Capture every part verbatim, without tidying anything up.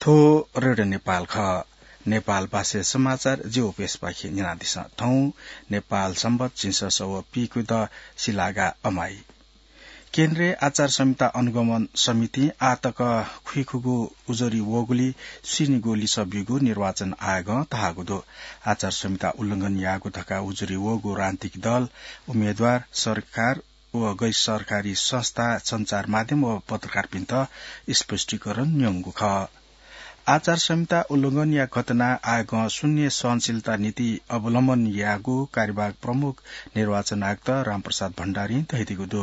थ्व रेडियो नेपाल खः। नेपाल भाषाया समाचार जि ओपेसपाखें न्यनादिसँ। थौं नेपाल संवत् झिंसः सव पीकुद सिलागा अमाइ। केन्द्रीय आचार संहिता अनुगमन समितिं आःतक खुइखुगू उजुरी वःगुलिइ स्वीनिगू लिसः ब्यूगु निर्वाचन आयोगं धाःगु दु। आचार संहिता उल्लंघन याःगु धकाः उजुरी वःगु राजनीतिक दल, उम्मेद्वार, सरकार व गैर सरकारी संस्था, सञ्चार माध्यम व पत्रकारपिन्त स्पष्टीकरण न्यंगु खः। आचार संहिता उल्लंघनया घटना आयोगं शून्य सहनशीलता नीति अवलम्बन याःगु कार्यवाहक प्रमुख निर्वाचन आयुक्त रामप्रसाद भण्डारीं धयादीगु दु।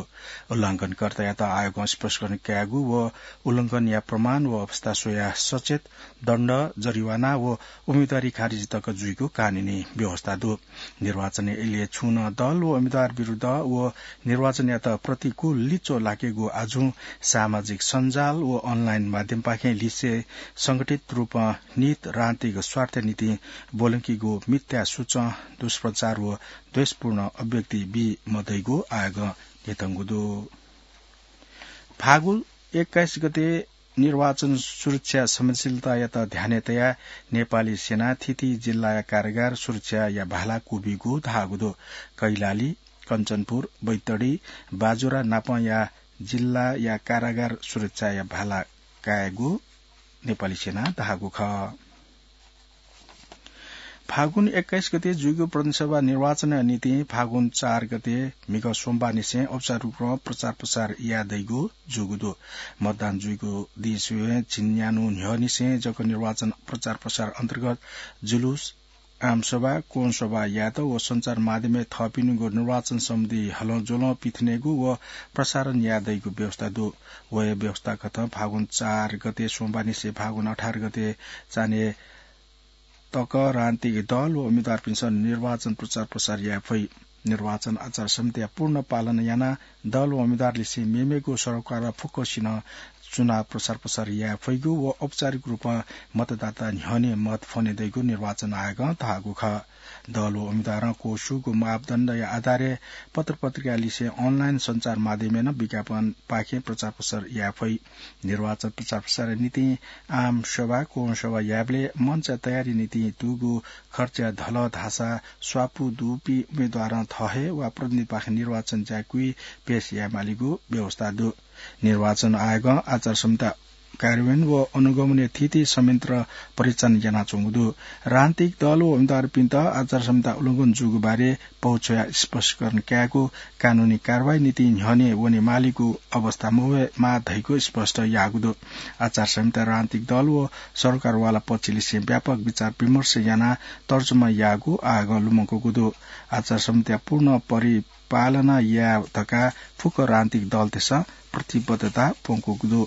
उल्लंघनकर्तायात आयोगं स्पष्टीकरण कायेगु व उल्लंघनया प्रमाण व अवस्था स्वयाः सचेत दण्ड, जरिवाना व उम्मेदवारी खारिज तक जुइगु कानूनी व्यवस्था दु। निर्वाचनया इलय् छुं नं दल व उम्मेदवार विरुद्ध व निर्वाचनयात प्रतिकूल लिच्वः लाकेगु आजुं सामाजिक सञ्जाल व अनलाइन माध्यमपाखें लिसें संगठित रूपं निहित राजनीतिक स्वार्थ निंतिं ब्वलंकीगु मिथ्या सुचं, दुष्प्रचार व द्वेषपूर्ण अभिव्यक्ति बी मदइगु आयोगं न्ह्यथंगु दु। फागु एक्काइस गते निर्वाचन सुरक्षा संवेदनशीलतायात ध्यानय् तयाः नेपाली सेनां थीथी जिल्लाया कारागार सुरक्षाया भाला क्वब्यूगु धाःगु दु। कैलाली, कञ्चनपुर, बैतडी, बाजुरा नापंया जिल्लाया कारागार सुरक्षाया भाला कायेगु नेपाली सेनां धाःगु खः। फागुन एक्काइस गते जुइगु प्रतिनिधि सभा निर्वाचनया निंतिं फागुन चार गते म्हिगः सोमबारनिसें औपचारिक रूपं प्रचार प्रसार याये दइगु जूगु दु। मतदान जुइगु दिं स्वयां झिंन्यान्हु न्ह्यःनिसें जक निर्वाचन प्रचार प्रसार अन्तर्गत जुलुस, आमसभा, कोणसभा यायेत व सञ्चार माध्यमय् थःपिनिगु निर्वाचन सम्बन्धी हलंज्वलं पिथनेगु व प्रसारण याये दइगु व्यवस्था दु। वया व्यवस्था कथं फागुन चार गते सोमबारनिसें फागुन अठार गते चान्हय् तक राजनीतिक दल व उम्मेदवारपिन्सं निर्वाचन प्रचार प्रसार याये फइ। निर्वाचन आचार संहिताया पूर्ण पालन यानाः दल व उम्मेदवारलिसें मेमेगु सरोकारया फुक्कसिनं चुनाव प्रचार प्रसार याये फइगु व औपचारिक रूपं मतदाता न्ह्यःने मत फ्वने दइगु निर्वाचन आयोगं धाःगु खः। दल व उम्मेदवारं क्वःस्यूगु मापदण्डया आधारय् पत्रपत्रिकालिसें अनलाइन सञ्चार माध्यमय् नं विज्ञापनपाखें प्रचार प्रसार याये फइ। निर्वाचन प्रचार प्रसारया निंतिं आम सभा, कोणसभा यायेबलय् मञ्चया तयारी निंतिं दुगु खर्चया धलः धाःसा स्वापू दुपिं उम्मेदवारं थः हे वा प्रतिनिधिपाखें निर्वाचन ज्याकुथि पेश यायेमालीगु व्यवस्था दु। निर्वाचन आयोगं आचार संहिता कार्यान्वयन व अनुगमनया थीथी संयन्त्र परिचालन यानाच्वंगु दु। राजनीतिक दल व उम्मेदवारपिन्त आचार संहिता उल्लंघन जूगु बारे पौ छ्वयाः स्पष्टीकरण कायेगु, कानूनी कारवाही निंतिं न्ह्यःने वनेमालीगु अवस्था मवयेमाः धइगु स्पष्ट याःगु दु। आचार संहिता राजनीतिक दल व सरोकारवाला पक्षलिसें व्यापक विचार विमर्श यानाः तर्जुमा याःगु आयोगं लुमंकूगु दु। आचार संहिता पूर्ण परिपालना याये धकाः फुक्क राजनीतिक दलतय्सं प्रतिबद्धता प्वंकूगु दु।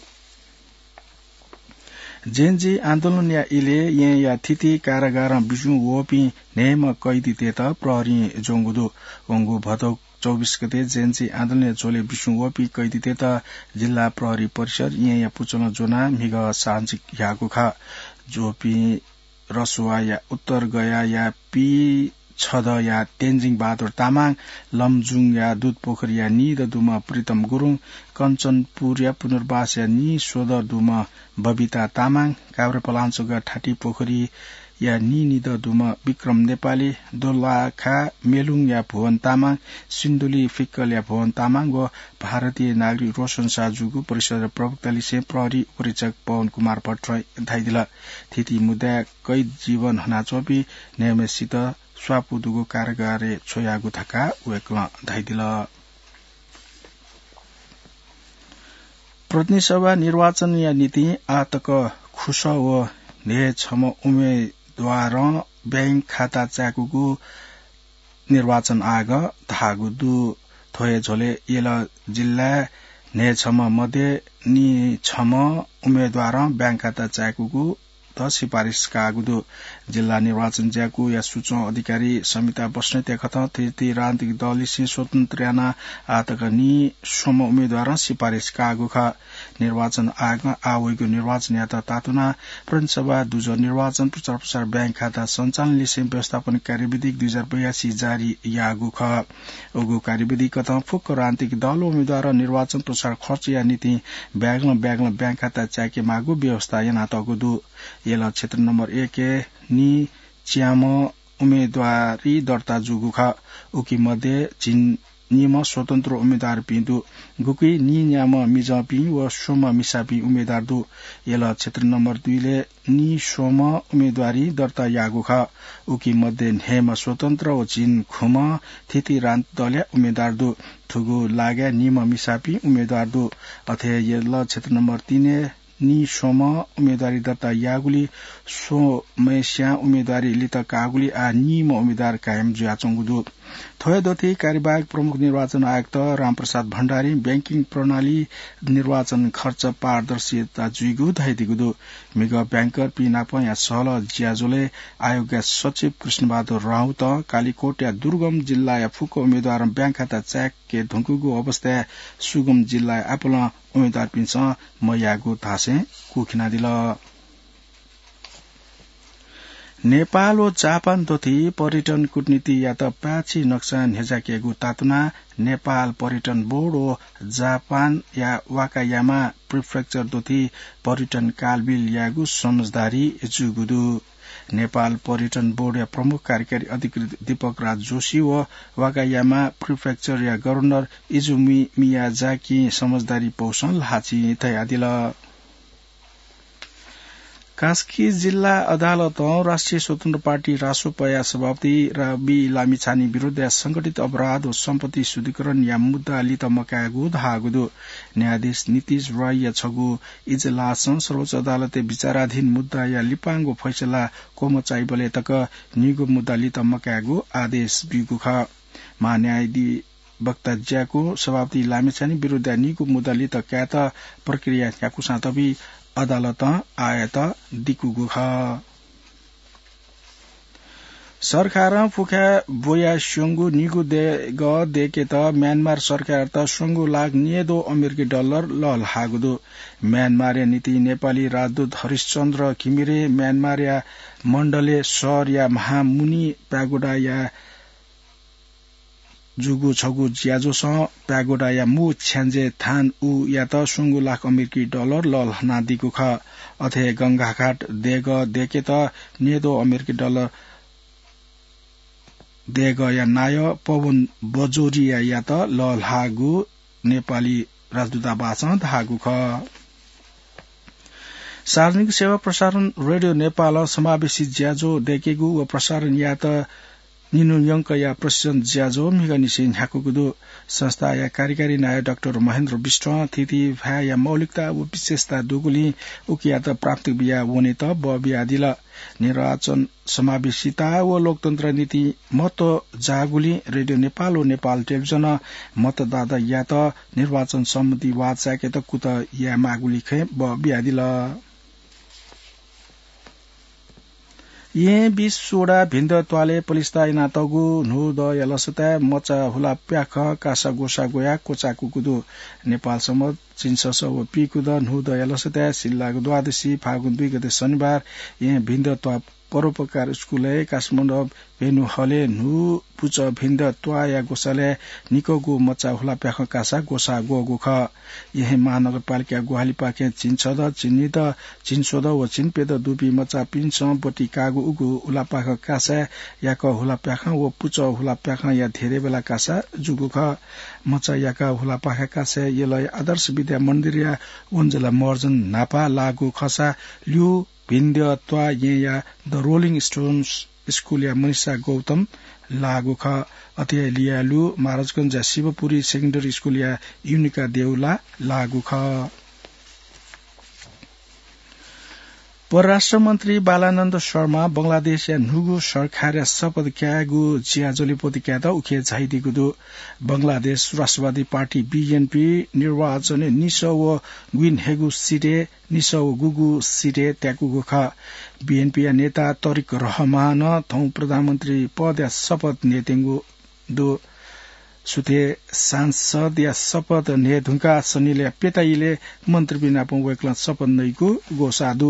जेन जी आन्दोलनया इलय् येँया थीथी कारागारं बिस्युं वःपिं न्हय्म्ह कैदीतय्त प्रहरीं ज्वंगु दु। वंगु भदौ चौबिस गते जेन जी आन्दोलनया झ्वलय् बिस्युं वःपिं कैदीतय्त जिल्ला प्रहरी परिसर येँया पुचलं ज्वनाः म्हिगः साँझ ह्याःगु खः। ज्वःपिं रसुवाया उत्तर गयाया पीछदँया तेन्जिङ बहादुर तामाङ, लमजुङया दुधपोखरीया निदँ दुम्ह प्रितम गुरुङ, कञ्चनपुरया पुनर्वासया निस्वदँ दुम्ह बबिता तामाङ, काभ्रेपलाञ्चोकया ठाटीपोखरीया निनिदँ दुम्ह विक्रम नेपाली, दोलाखा मेलुङया भुवन तामाङ, सिन्धुली फिक्कलया भुवन तामाङ व भारतीय नागरिक रोशन शाह जूगु परिषद्या प्रवक्तालिसें प्रहरी उपरीक्षक पवन कुमार भट्टराईं धयादिल। थीथी मुद्दाय् कैद जीवन हनाच्वंपिं न्हय्म्हसित स्वापू दुगु कारागारय् छ्वयागु धकाः वय्कलं धयादिल। प्रतिनिधि सभा निर्वाचनया निंतिं आःतक खुसः व न्हय्छम्ह उम्मेदवारं बैंक खाता चाय्कूगु निर्वाचन आयोगं धाःगु दु। थ्व हे झ्वलय् यल जिल्लाय् न्हय्छम्ह मध्ये निछम्ह उम्मेदवारं बैंक खाता चाय्कूगु द सिफारिस काःगु दु। जिल्ला निर्वाचन ज्याकुया सुचं अधिकारी समिता बस्नेतया कथं थीथी राजनीतिक दललिसें स्वतन्त्र यानाः आःतक निस्वम्ह उम्मेदवारं सिफारिस काःगु खः। निर्वाचन आयोगं आः वइगु निर्वाचनयात तातुनाः प्रदेशसभा दुजः निर्वाचन प्रचार प्रसार ब्याङ्क खाता सञ्चालन लिसें व्यवस्थापन कार्यविधि दुई हजार बयासी जारी याःगु खः। उगु कार्यविधि कथं फुक्क राजनीतिक दल व उम्मेद्वारं निर्वाचन प्रचार खर्चया निंतिं ब्यागलं ब्यागलं ब्याङ्क खाता चाय्के माःगु व्यवस्था यानातःगु दु। यल क्षेत्र नम्बर एकय् नीच्याम्ह उम्मेद्वारी दर्ता जूगु खः। उकी मध्ये झिंनिम्ह स्वतन्त्र उम्मेद्वारपिं दु। गुकी नीन्याम्ह मिजंपिं व स्वम्ह मिसापिं उम्मेद्वार दु। यल क्षेत्र नम्बर दुईलय् नीस्वम्ह उम्मेद्वारी दर्ता याःगु खः। उकी मध्ये न्हय्म्ह स्वतन्त्र व झिंखुम्ह थीथी राजनीतिक दलया उम्मेद्वार दु। थुगु लागाय् नीम्ह मिसापिं उम्मेद्वार दु। अथे यल क्षेत्र नम्बर तीनय् नीस्वम्ह उम्मेद्वारी दर्ता याःगुलिं स्वम्हस्यां उम्मेद्वारी लित काःगुलिं आः नीम्ह उम्मेद्वार कायम जुयाच्वंगु दु। थ्व हे दथुइ कार्यवाहक प्रमुख निर्वाचन आयुक्त रामप्रसाद भण्डारीं बैंकिङ प्रणाली निर्वाचन खर्च पारदर्शिता जुइगु धयादीगु दु। म्हिगः बैंकरपिं नापं यानाः सहलह ज्याझ्वलय् आयोगया सचिव कृष्णबहादुर राउतं कालिकोटया दुर्गम जिल्लाया फुक्क उम्मेद्वारं ब्याङ्क खाता चाय्के धुंकूगु अवस्थाय् सुगम जिल्लाया आपालं उम्मेद्वारपिन्सं मयाःगु धासें कुःखिनादिल। नेपाल व जापान दथुइ पर्यटन कूटनीतियात पाय्छि नक्सा न्ह्यज्याकेगु तातुनाः नेपाल पर्यटन बोर्ड व जापानया वाकायामा प्रिफेक्चर दथुइ पर्यटन कालबिल यायेगु समझदारी जूगु दु। नेपाल पर्यटन बोर्डया प्रमुख कार्यकारी अधिकृत दीपक राज जोशी व वाकायामा प्रिफेक्चरया गभर्नर इजुमी मियाजाकिं समझदारी पौसं ल्हाःचिं धयादिल। कास्की जिल्ला अदालतं राष्ट्रिय स्वतन्त्र पार्टी रासोपाया सभापति रवि लामिछाने विरुद्धया संगठित अपराध व सम्पत्ति शुद्धिकरणया मुद्दा लित मकायेगु धाःगु दु। न्यायाधीश नितिश रोयया छगू इजलासं सर्वोच्च अदालतय् विचाराधीन मुद्दाया लिपांगु फैसला क्वमचाइबलय् तक निगू मुद्दा लित मकायेगु आदेश ब्यूगु खः। महान्यायाधीश वक्ता ज्याकू सभापति लामिछाने विरुद्धया निगू मुद्दा लित कायेत प्रक्रिया न्ह्याकूसां तबि अदालतं आःयात दिकूगु खः। सरकारं पुखाय् ब्वयास्यंगु निगू देगः दय्केत म्यानमार सरकारयात स्वंगू लाख न्येद्वः अमेरिकी डलर लःल्हाःगु दु। म्यानमारया निंतिं नेपाली राजदूत हरिशचन्द्र घिमिरे म्यानमारया मण्डले सहरया महामुनि प्यागोडाया जूगु छगू ज्याझ्वलं प्यागोडाया मू छ्याञ्जे थान उयात स्वंगू लाख अमेरिकी डलर लःल्हानादीगु खः। अथे गंगाघाट देगः दय्केत न्येद्वः अमेरिकी डलर देगःया नायः पवन बजोरियायात लःल्हाःगु नेपाली राजदूतावासं धाःगु खः। सार्वजनिक सेवा प्रसारण रेडियो नेपालं समावेशी ज्याझ्वः दय्केगु व प्रसारण यायेत निन्हु यंकया प्रशिक्षण ज्याझ्वः म्हिगःनिसें न्ह्याकूगु दु। संस्थाया कार्यकारी नायः डाक्टर महेन्द्र विष्टं थीथी भाय्‌या मौलिकता व विशेषता दुगुलिं उकियात प्राथमिकता बियाः वनेत बः बियादिल। निर्वाचन समावेशिता व लोकतन्त्र निंतिं महत्व जाःगुलिं रेडियो नेपाल व नेपाल टेलिभिजनं मतदातायात निर्वाचन सम्बन्धी वाः चाय्केत कुतः यायेमाःगुलिं खँय् बः बियादिल। येँ बिस वडा भिन्द त्वालय् पलिस्था यानातःगु न्हूदँया लसताय् मचा हुला प्याखं कासा ग्वसाः ग्वयाः क्वचाय्कूगु दु। नेपाल संवत् झिंछसः व पीकुदँ न्हूदँया लसताय् सिल्लाग द्वादशी फागुन दुई गते शनिबार येँ भिन्द त्वाः परोपकार स्कुलय् कासमण्डप भेनु हलय् न्हू पुचः भिन्द त्वाःया ग्वसालय् निकःगु मचा हुला प्याखं कासा ग्वसाः ग्वःगु खः। येँ महानगरपालिकाया ग्वाहालिपाखें झिंछदँ, झिंनिदँ, झिंस्वदँ व झिंप्यदँ दुपिं मचापिन्सं ब्वति काःगु उगु हुला प्याखं कासाय् याकः हुला प्याखं व पुचः हुला प्याखंया धेरेबेला कासा जूगु खः। मचा याकः हुला प्याखं कासाय् यलया आदर्श विद्या मन्दिरया वंजला महर्जन न्हापा लाःगु खःसा ल्यू भिन्द त्वाः येँया The Rolling Stones स्कुलया मनिषा गौतम लाःगु खः। अथे हे लियालु महाराजगंजया शिवपुरी सेकेन्डरी स्कुलया युनिका देउला लाःगु खः। परराष्ट्र मन्त्री बालानन्द शर्मा बंगलादेशया न्हूगु सरकारया शपथ कायेगु ज्याझ्वलय् ब्वति कायेत उखे झायादीगु दु। बंगलादेश राष्ट्रवादी पार्टी, बीएनपी, निर्वाचनय् निसः व गुइन्हय्गू सिटय् निसः व गुगू सिटय् त्याकूगु खः। बीएनपीया नेता तरिक रहमानं थौं प्रधानमन्त्री पदया शपथ न्ययेत्यंगु दु। सुथे सांसदया शपथ न्हय् धुंकाः सनिलया प्यता इलय् मन्त्रीपिं नाप वय्कलं शपथ नइगु ग्वसाः दु।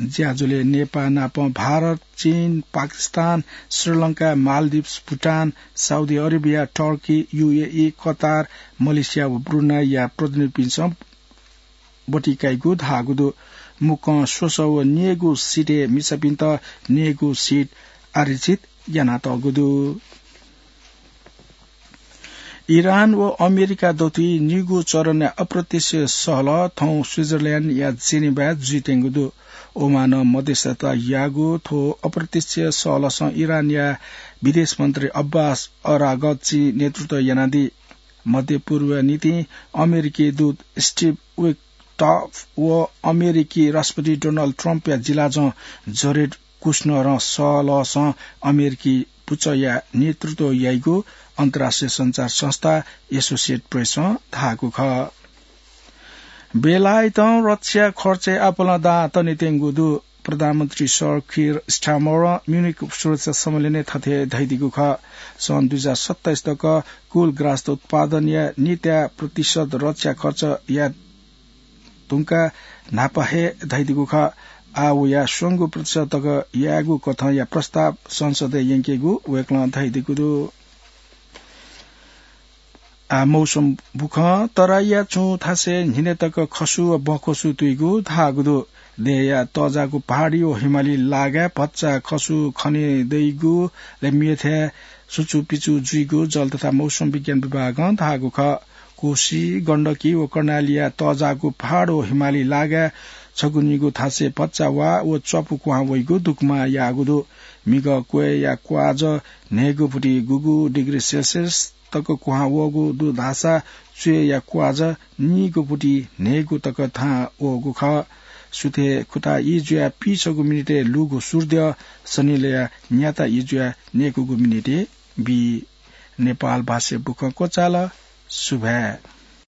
ज्याझ्वलय् नेपाः नाप भारत, चीन, Pakistan, Sri Lanka, Maldives, Bhutan, Saudi Arabia, Turkey, UAE, Qatar, Malaysia व ब्रुनाईया प्रतिनिधिपिन्सं ब्वति काइगु धाःगु दु। मुक्कं स्वसः व न्यय्गू सिटय् मिसापिन्त न्यय्गू सिट आरक्षित यानातःगु दु। इरान व अमेरिका दथुइ निगू चरणया अप्रत्यक्ष सहलह थौं स्विजरल्याण्डया जेनेभाय् जुइत्यंगु दु। ओमानं मध्यस्थता याःगु थ्व अप्रत्यक्ष सहलहसं इरानया विदेश मन्त्री अब्बास अरागची नेतृत्व यानादी। मध्य पूर्वया निंतिं अमेरिकी दूत स्टिभ विटकफ व अमेरिकी राष्ट्रपति डोनाल्ड ट्रम्पया जिलाजं जरेड कुश्नरं सहलहसं अमेरिकी पुचःया नेतृत्व याइगु अन्तर्राष्ट्रिय सञ्चार संस्था एसोसिएटेड प्रेसं धाःगु खः। बेलायतं रक्षा खर्चय् आपालं दां तनेत्यंगु दु। प्रधानमन्त्री सर कीर स्टारमरं म्युनिक सुरक्षा सम्मेलनय् थथे धयादीगु खः। सन् दुई हजार सत्ताइस तक कुल ग्रास उत्पादनया निता प्रतिशत रक्षा खर्चया धुंकाः न्हापा हे धयादीगु खः। आः वया स्वंगू प्रतिशत तक यायेगु कथंया प्रस्ताव संसदय् यंकेगु वय्कलं धयादीगु दु। आः मौसम बुखँ। तराईया छुं थासय् न्हिनय् तक खसु व बखसु तुइगु धाःगु दु। देय्या तःजाःगु पहाडी व हिमाली लागाय् भचा खसु खने दइगु, लय् मेथाय् सुचुपिचु जुइगु जल तथा मौसम विज्ञान विभागं धाःगु खः। कोशी, गण्डकी व कर्णालीया तःजाःगु पहाड व हिमाली लागाय् छगू निगू थासय् भचा वा व च्वापु क्वहां वइगु दुकमा याःगु दु। म्हिगः क्वय्या क्वाज न्हय्गू भुटी गुगू डिग्री सेल्सियस तक क्वहां वःगु दु धाःसा च्वय्या क्वाज नीगू भुटी न्हय्गू तक थाहां वःगु खः। सुथय् खुता ई जुयाः पीछगू मिनेटय् लूगु सूर्द्यः सनिलया न्याता ई जुयाः न्यय्कूगु मिनेटय् बी। नेपाल भाषाय् बुखँ क्वचाल। सुभाय्।